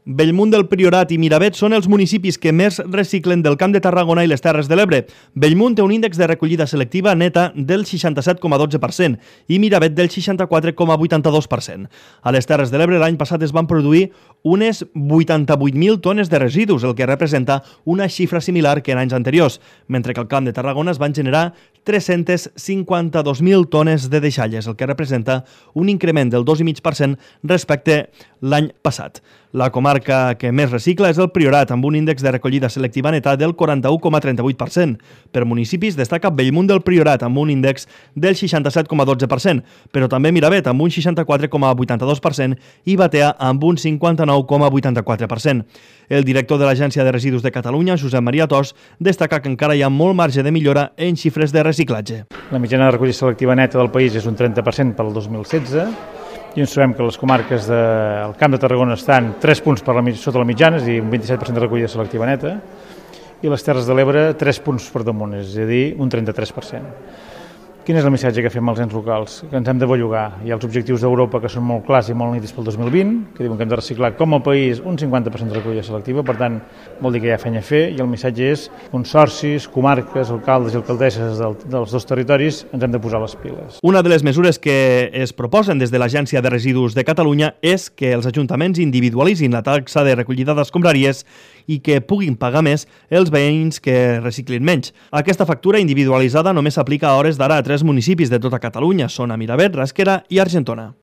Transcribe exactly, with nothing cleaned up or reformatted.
Bellmunt del Priorat i Miravet són els municipis que més reciclen del Camp de Tarragona i les Terres de l'Ebre. Bellmunt té un índex de recollida selectiva neta del seixanta-set coma dotze per cent i Miravet del seixanta-quatre coma vuitanta-dos per cent. A les Terres de l'Ebre l'any passat es van produir unes vuitanta-vuit mil tones de residus, el que representa una xifra similar que en anys anteriors, mentre que al Camp de Tarragona es van generar tres-centes cinquanta-dos mil tones de deixalles, el que representa un increment del dos coma cinc per cent respecte l'any passat. La comarca que més recicla és el Priorat, amb un índex de recollida selectiva neta del quaranta-u coma trenta-vuit per cent. Per municipis destaca Bellmunt del Priorat, amb un índex del seixanta-set coma dotze per cent, però també Miravet, amb un seixanta-quatre coma vuitanta-dos per cent, i Batea, amb un cinquanta-nou coma vuitanta-quatre per cent. El director de l'Agència de Residus de Catalunya, Josep Maria Tos, destaca que encara hi ha molt marge de millora en xifres de reciclatge. La mitjana de recollida selectiva neta del país és un trenta per cent per al dos mil setze, i ens trobem que les comarques del Camp de Tarragona estan tres punts per la, sota la mitjana, és a dir, un vint-i-set per cent de recollida selectiva neta, i les Terres de l'Ebre tres punts per damunt, és a dir, un trenta-tres per cent. Quin és el missatge que fem als ens locals? Que ens hem de bellugar. Hi ha els objectius d'Europa que són molt clars i molt nítids pel dos mil vint, que diuen que hem de reciclar com a país un cinquanta per cent de recollida selectiva, per tant, vol dir que hi ha feina a fer, i el missatge és consorcis, comarques, alcaldes i alcaldesses del, dels dos territoris, ens hem de posar les piles. Una de les mesures que es proposen des de l'Agència de Residus de Catalunya és que els ajuntaments individualitzin la taxa de recollida d'escombraries i que puguin pagar més els veïns que reciclin menys. Aquesta factura individualitzada només s'aplica a hores d'ara a tres municipis de tota Catalunya, són a Miravet, Rasquera i Argentona.